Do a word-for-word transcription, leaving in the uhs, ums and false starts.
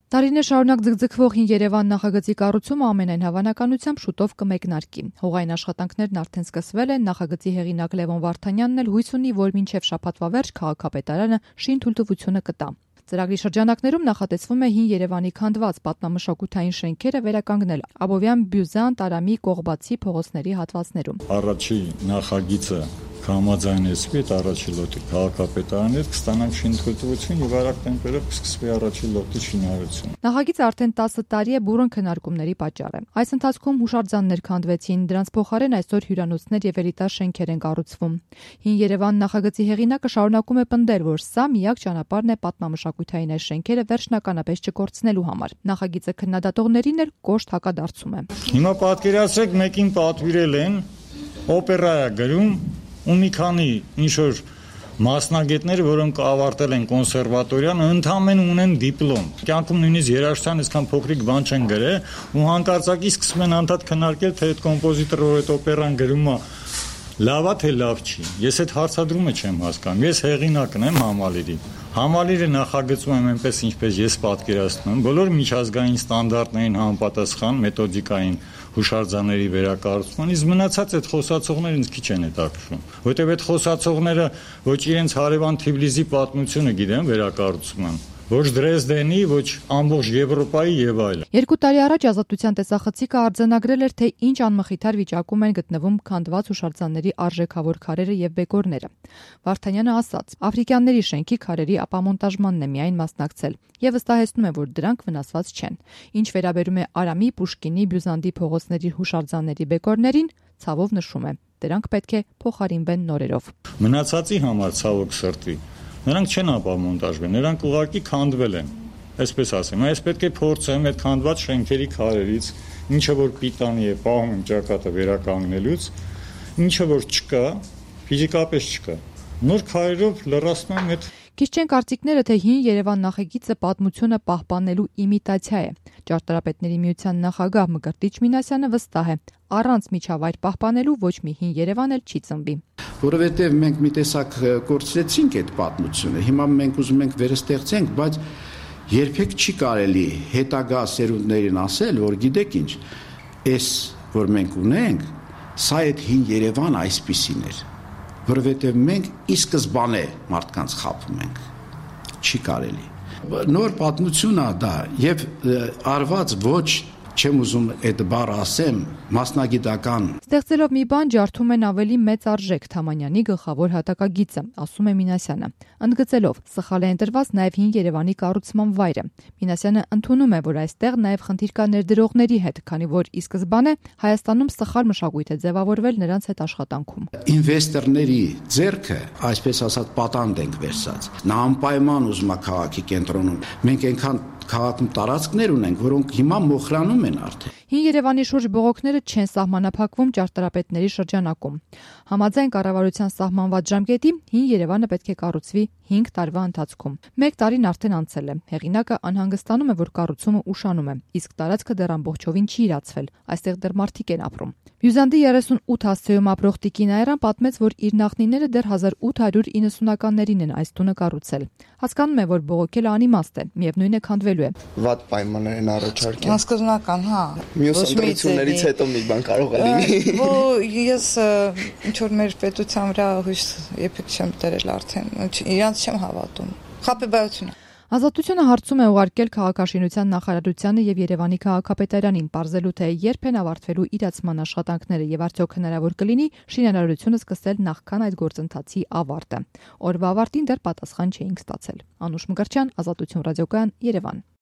Տարիներ շարունակ ձգձգվող հին Երևան նախագծի կառուցումը ամենայն հավանականությամբ շուտով կմեկնարկի։ Հողային աշխատանքներն արդեն սկսվել են, նախագծի հեղինակ Լևոն Վարդանյանն էլ հույս ունի, որ մինչև շաբաթվա վերջ քաղաքապետարանը շինթույլտվությունը կտա։ Ծրագրի շրջանակներում նախատեսվում է հին Երևանի քանդված պատմամշակութային շենքերը վերականգնել Աբովյան, Բյուզան, Տարամի, Կողբացի փողոցների հատվածներում։ Առաջի նախագիծը համաձայնեցվի այդ առաջի լոտի քաղաքապետարանի հետ կստանանք շինթույլտվություն եւ արագ տեմպերով կսկսվի առաջի լոտի շինարարությունը։ Նախագիծը արդեն տասը տարի է բուռն քննարկումների պատճառ է։ Այս ընթացքում հուշարձաններ քանդվեցին, դրանց փոխարեն այսօր հյուրանոցներ եւ էլիտար շենքեր են կառուցվում։ Հին Երևան նախագծի հեղինակը շարունակում է պնդել, որ սա միակ ճանապարհն է պատմամշակութային այս շենքերը վերջնականապես չկորցնելու համար։ Նախագիծը քննադատողներին էլ կոշտ հակադարձում է։ Հիմա պատկերացրեք, մեկին պատվիրել են օպերա գրում ու մի քանի ինչ-որ մասնագետներ, որոնք ավարտել են կոնսերվատորիան, ընդամենը ունեն դիպլոմ։ Կյանքում նույնիսկ երաժշտության այսքան փոքրիկ բան չեն գրել, ու հանկարծակի սկսում են անդադ քննարկել, թե այդ կոմպոզիտորը այդ օպերան գրում է լավ է թե լավ չի։ Ես այդ հարցադրումը չեմ հասկանում։ Ես հեղինակն եմ համալիրի։ Համալիրը նախագծում եմ այնպես, ինչպես ես պատկերացնում եմ, բոլոր միջազգային ստանդարտներին համապատասխան մեթոդիկային հուշարձանների վերակառուցման, իսկ մնացած այդ խոսացողները ինձ քիչ են հետաքրքրում, որտեղ այդ խոսացողները ոչ իրենց հարևան Թիֆլիսի պատմությունը գիտեն վերակառուցում են, ոչ Դրեզդենի, ոչ ամբողջ Եվրոպայի եւ այլն։ Երկու տարի առաջ Ազատության տեսախցիկը արձանագրել էր, թե ինչ անմխիթար վիճակում են գտնվում քանդված հուշարձանների արժեքավոր քարերը եւ բեկորները։ Վարդանյանը ասաց. Աֆրիկյանների շենքի քարերի ապամոնտաժմանն է միայն մասնակցել եւ վստահեցնում է, որ դրանք վնասված չեն։ Ինչ վերաբերում է Արամի, Պուշկինի, Բյուզանդի փողոցների հուշարձանների բեկորներին, ցավով նշում է. դրանք պետք է փոխարինվեն նորերով։ Մնացածի համար ցավոք սրտի նրանք չեն ապամոնտաժվել, նրանք ուղղակի քանդվել են, այսպես ասեմ, այս պետք է փորձեմ այդ քանդված շենքերի քարերից, ինչը որ պիտանի է պահում եմ ճակատը վերականգնելուց, ինչը որ չկա, ֆիզիկապես չկա, նոր քարերով լրացնում եմ այդ։ Քիչ չեն կարծիքները, թե հին Երևան նախագիծը պատմությունը պահպանելու իմիտացիա է։ Ճարտարապետների միության նախագահ Մկրտիչ Մինասյանը վստահ է, առանց միջավայր պահպանելու ոչ մի հին Երևան էլ չի ծնվի։ Որովհետև մենք մի տեսակ կորցրեցինք այդ պատմությունը, հիմա մենք ուզում ենք վերստեղծենք, բայց երբեք չի կարելի հետագա սերունդներին ասել, որ գիտեք ինչ, այս որ մենք ունենք, սա այդ հին Երևան այսպիսին էր, որովհետև մենք ի սկզբանե մարդկանց խաբում ենք, չի կարելի։ Նոր պատմություն է դա եւ արված ոչ չեմ ուզում այդ բառը ասեմ, մասնագիտական։ Ստեղծելով մի բան ջարդում են ավելի մեծ արժեք Թամանյանի գլխավոր հատակագիծը, ասում է Մինասյանը։ Ընդգծելով, սխալ է ընտրված նաև հին Երևանի կառուցման վայրը։ Մինասյանը ընդունում է, որ այստեղ նաև խնդիր կա ներդրողների հետ, քանի որ ի սկզբանե Հայաստանում սխալ մշակույթ է ձևավորվել նրանց հետ աշխատանքում։ Ինվեստորների ձեռքը, այսպես ասած, պատանդ ենք վերցած։ Նա անպայման ուզում է քաղաքի կենտրոնում։ Մենք այնքան քաղաքում տարածքներ ունենք, որոնք հիմա մոխրանում են արդեն։ Հին Երևանի շուրջ բողոքները չեն սահմանափակվում ճարտարապետների շրջանակում։ Համաձայն կառավարության սահմանված ժամկետի հին Երևանը պետք է կառուցվի հինգ տարվա ընթացքում։ Մեկ տարին արդեն անցել է։ Հեղինակը անհանգստանում է, որ կառուցումը ուշանում է, իսկ տարածքը դեռ ամբողջովին չի իրացվել։ Այստեղ դեռ մարդիկ են ապրում։ Բյուզանդի երեսունութ հասցեում ապրող Տիկին Այրան պատմեց, որ իր նախնիները դեռ հազար ութ հարյուր իննսունականներին են այս տունը կառուցել։ Հասկանում է, որ բողոքելը անիմաստ է, միևնույն է քանդվելու է։ Վատ պայմաններ են առաջարկել։ Անսկզնական, հա։ Մյուս ընտրություններից հետո մի բան կարող է լինի։ Ու ես ինչ որ մեր պետության վրա հույս երբեք չեմ դրել արդեն։ Իրանց չեմ հավատում։ Խաբեբայությունը։ Ազատությունը հարցում է ուղարկել քաղաքաշինության նախարարությանը եւ Երևանի քաղաքապետարանին, պարզելու թե երբ են ավարտվելու իրացման աշխատանքները եւ արդյոք հնարավոր կլինի շինարարությունը սկսել նախքան այդ գործընթացի ավարտը։ Օրվա ավարտին դեռ պատասխան չէինք ստացել։ Անուշ Մկրտչյան, Ազատություն ռադիոկայան, Երևան։